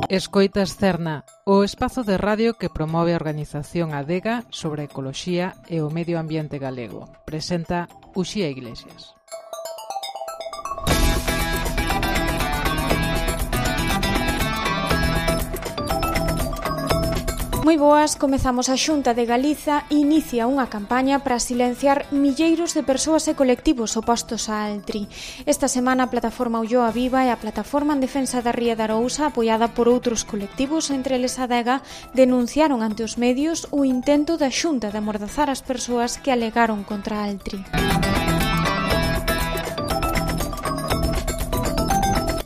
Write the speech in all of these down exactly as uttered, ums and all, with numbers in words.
Escoitas Cerna, o espazo de radio que promove a organización Adega sobre a ecoloxía e o medio ambiente galego. Presenta Uxía Iglesias. Moi boas, comezamos a Xunta de Galiza e inicia unha campaña para silenciar milleiros de persoas e colectivos opostos a Altri. Esta semana a plataforma Ulloa Viva e a plataforma en defensa da Ría de Arousa, apoiada por outros colectivos, entre eles a Adega, denunciaron ante os medios o intento da Xunta de amordazar as persoas que alegaron contra Altri.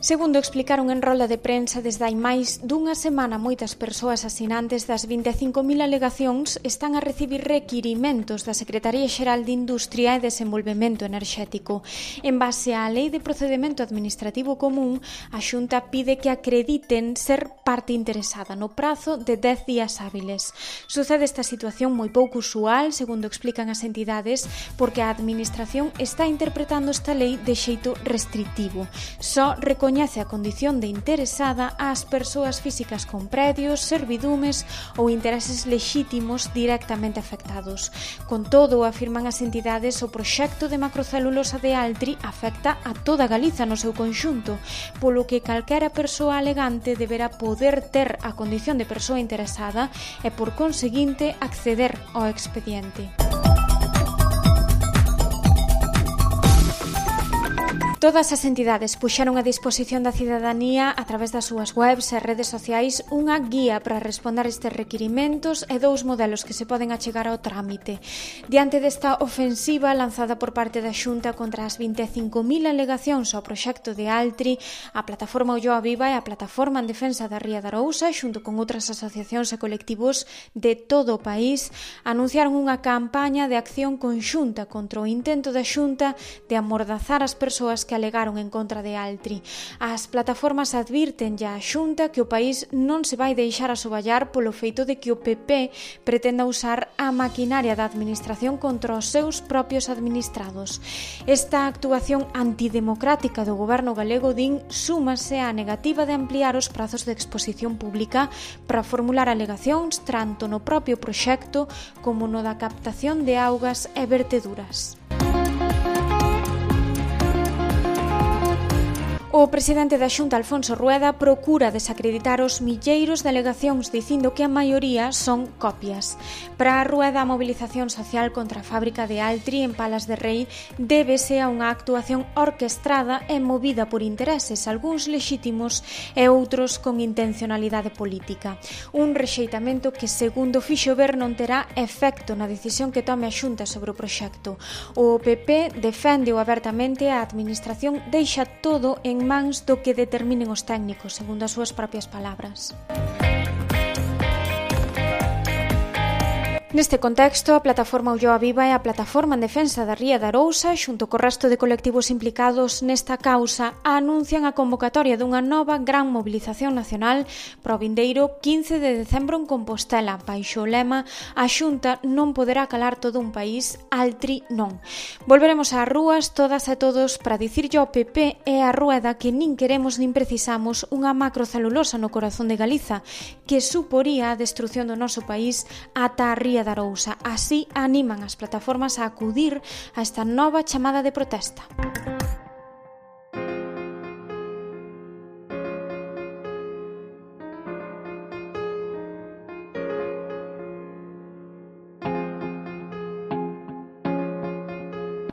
Segundo explicaron en rolda de prensa, desde hai máis dunha semana moitas persoas asinantes das vinte e cinco mil alegacións están a recibir requirimentos da Secretaría Xeral de Industria e Desenvolvemento Enerxético. En base á Lei de Procedemento Administrativo Común, a Xunta pide que acrediten ser parte interesada no prazo de dez días hábiles. Sucede esta situación moi pouco usual, segundo explican as entidades, porque a Administración está interpretando esta lei de xeito restritivo. Só recoñece a condición de interesada ás persoas físicas con predios, servidumes ou intereses lexítimos directamente afectados. Con todo, afirman as entidades, o proxecto de macrocelulosa de Altri afecta a toda Galiza no seu conxunto, polo que calquera persoa alegante deberá poder ter a condición de persoa interesada e, por conseguinte, acceder ao expediente. Todas as entidades puxeron a disposición da cidadanía a través das súas webs e redes sociais unha guía para responder estes requirimentos e dous modelos que se poden achegar ao trámite. Diante desta ofensiva lanzada por parte da Xunta contra as vinte e cinco mil alegacións ao proxecto de Altri, a plataforma Ulloa Viva e a plataforma en defensa da Ría de Arousa, xunto con outras asociacións e colectivos de todo o país, anunciaron unha campaña de acción conxunta contra o intento da Xunta de amordazar as persoas que que alegaron en contra de Altri. As plataformas advirten ya a Xunta que o país non se vai deixar asoballar polo feito de que o P P pretenda usar a maquinaria da administración contra os seus propios administrados. Esta actuación antidemocrática do goberno galego, din, súmase á negativa de ampliar os prazos de exposición pública para formular alegacións tanto no propio proxecto como no da captación de augas e verteduras. O presidente da Xunta, Alfonso Rueda, procura desacreditar os milleiros de alegacións dicindo que a maioría son copias. Para a Rueda, a movilización social contra a fábrica de Altri en Palas de Rei débese a unha actuación orquestrada e movida por intereses, algúns lexítimos e outros con intencionalidade política. Un rexeitamento que, segundo fixo ver, non terá efecto na decisión que tome a Xunta sobre o proxecto. O P P defende abertamente a administración deixa todo en mans do que determinen os técnicos, segundo as súas propias palabras. Neste contexto, a plataforma Ulloa Viva e a plataforma en defensa da Ría de Arousa, xunto co resto de colectivos implicados nesta causa, anuncian a convocatoria dunha nova gran mobilización nacional para o vindeiro quince de decembro en Compostela, baixo o lema "A Xunta non poderá calar todo un país, Altri non". Volveremos ás rúas todas e todos para dicirlle ao P P e á Rueda que nin queremos nin precisamos unha macrocelulosa no corazón de Galiza, que suporía a destrución do noso país ata a Ría de Arousa. Así animan as plataformas a acudir a esta nova chamada de protesta.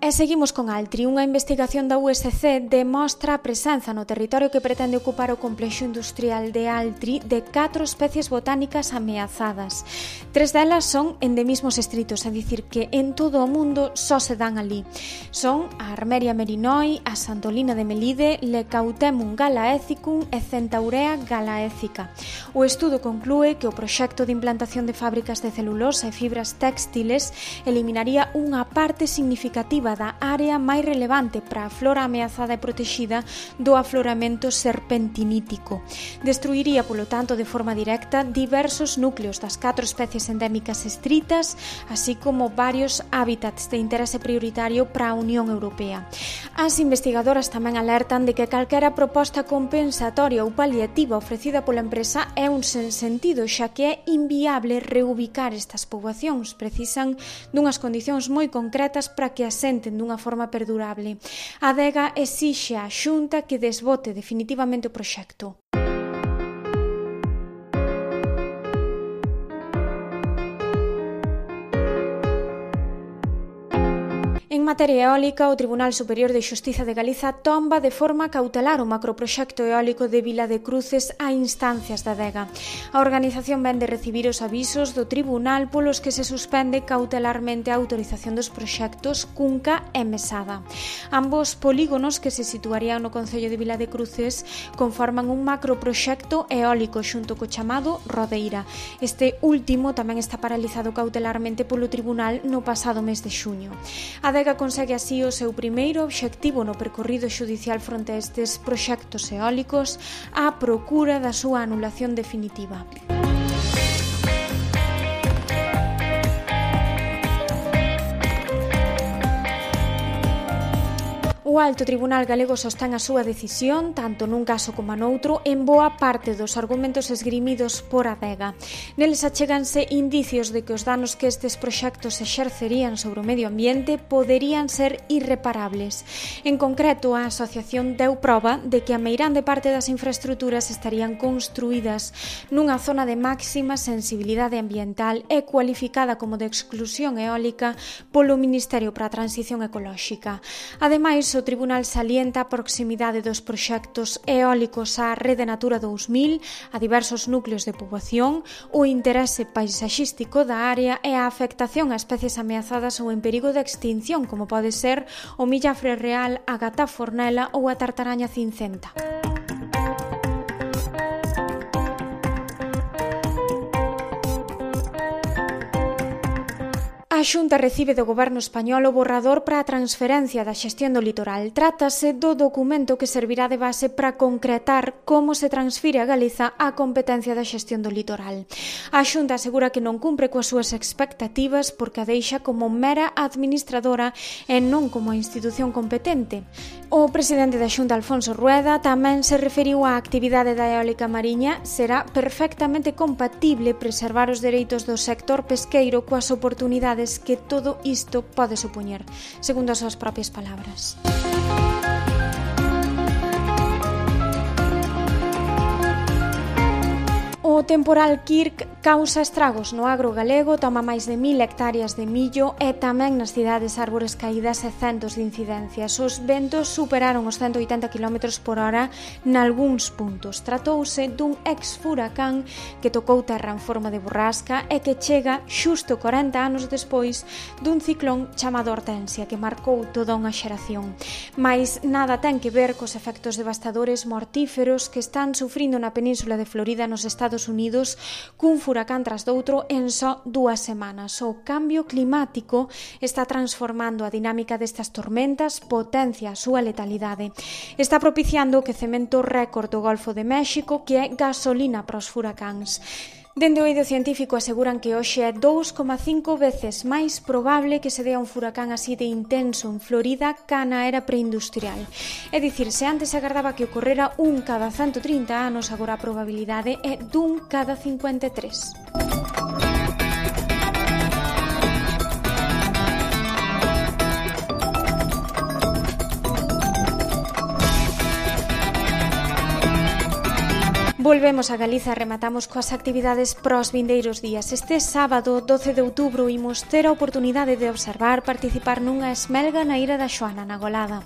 E seguimos con Altri. Unha investigación da U S C demostra a presenza no territorio que pretende ocupar o complexo industrial de Altri de catro especies botánicas ameazadas. Tres delas son endemismos estritos, é dicir, que en todo o mundo só se dan ali. Son a Armeria merinoi, a Santolina de Melide, Lecautemum galaethicum e Centaurea galaethica. O estudo conclúe que o proxecto de implantación de fábricas de celulosa e fibras textiles eliminaría unha parte significativa da área máis relevante para a flora ameazada e protexida do afloramento serpentinítico. Destruiría, polo tanto, de forma directa diversos núcleos das catro especies endémicas estritas, así como varios hábitats de interese prioritario para a Unión Europea. As investigadoras tamén alertan de que calquera proposta compensatoria ou paliativa ofrecida pola empresa é un sentido, xa que é inviable reubicar estas poboacións. Precisan dunhas condicións moi concretas para que asenten dunha forma perdurable. A Adega exixe á Xunta que desbote definitivamente o proxecto. En materia eólica, o Tribunal Superior de Xustiza de Galiza tomba de forma cautelar o macroproxecto eólico de Vila de Cruces a instancias da Adega. A organización vén de recibir os avisos do Tribunal polos que se suspende cautelarmente a autorización dos proxectos Cunca e Mesada. Ambos polígonos que se situarían no concello de Vila de Cruces conforman un macroproxecto eólico xunto co chamado Rodeira. Este último tamén está paralizado cautelarmente polo Tribunal no pasado mes de xuño. A Adega consegue así o seu primeiro obxectivo no percorrido xudicial fronte a estes proxectos eólicos, á procura da súa anulación definitiva. O Alto Tribunal Galego sostén a súa decisión, tanto nun caso como noutro, en boa parte dos argumentos esgrimidos por Adega. Neles achéganse indicios de que os danos que estes proxectos exercerían sobre o medio ambiente poderían ser irreparables. En concreto, a asociación deu proba de que a meirande parte das infraestruturas estarían construídas nunha zona de máxima sensibilidade ambiental e cualificada como de exclusión eólica polo Ministerio para a Transición Ecolóxica. Ademais, o Tribunal salienta a proximidade dos proxectos eólicos á Rede Natura dous mil, a diversos núcleos de poboación, o interese paisaxístico da área e a afectación a especies ameazadas ou en perigo de extinción, como pode ser o millafre real, a gata fornela ou a tartaraña cincenta. A Xunta recibe do Goberno español o borrador para a transferencia da xestión do litoral. Trátase do documento que servirá de base para concretar como se transfire a Galiza a competencia da xestión do litoral. A Xunta asegura que non cumpre coas súas expectativas porque a deixa como mera administradora e non como a institución competente. O presidente da Xunta, Alfonso Rueda, tamén se referiu á actividade da eólica mariña. Será perfectamente compatible preservar os dereitos do sector pesqueiro coas oportunidades que todo isto pode supoñer, segundo as súas propias palabras. O temporal Kirk causa estragos no agro galego, toma máis de mil hectáreas de millo e tamén nas cidades árbores caídas e centos de incidencias. Os ventos superaron os ciento oitenta quilómetros por hora nalgúns puntos. Tratouse dun ex-furacán que tocou terra en forma de borrasca e que chega xusto corenta anos despois dun ciclón chamado Hortensia que marcou toda unha xeración. Mais nada ten que ver cos efectos devastadores mortíferos que están sufrindo na península de Florida nos Estados Unidos cun furacán tras doutro en só dúas semanas. O cambio climático está transformando a dinámica destas tormentas, potencia a súa letalidade. Está propiciando o quecemento récord do Golfo de México, que é gasolina para os furacáns. Dende o eido científico aseguran que hoxe é dous coma cinco veces máis probable que se dea un furacán así de intenso en Florida ca na era preindustrial. É dicir, se antes se agardaba que ocorrera un cada ciento trinta anos, agora a probabilidade é dun cada cincuenta e tres. Volvemos a Galiza e rematamos coas actividades pros vindeiros días. Este sábado, doce de outubro, imos ter a oportunidade de observar participar nunha esmelga na Ira da Xoana, na Golada.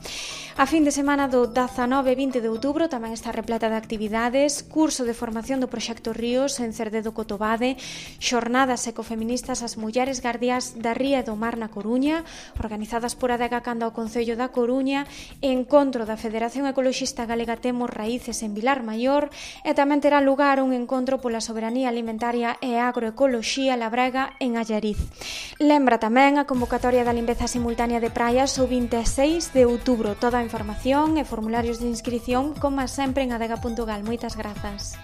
A fin de semana do dezanove e vinte de outubro tamén está repleta de actividades, curso de formación do Proxecto Ríos en Cerdedo Cotobade, xornadas ecofeministas ás mulleres guardiás da ría e do mar na Coruña, organizadas por Adega Canda ao Concello da Coruña, encontro da Federación Ecoloxista Galega Temos Raíces en Vilar Maior e tamén terá lugar un encontro pola soberanía alimentaria e agroecoloxía labrega en Allariz. Lembra tamén a convocatoria da limpeza simultánea de praias o vinte e seis de outubro. Toda a información e formularios de inscripción, como sempre, en adega punto gal. Moitas grazas.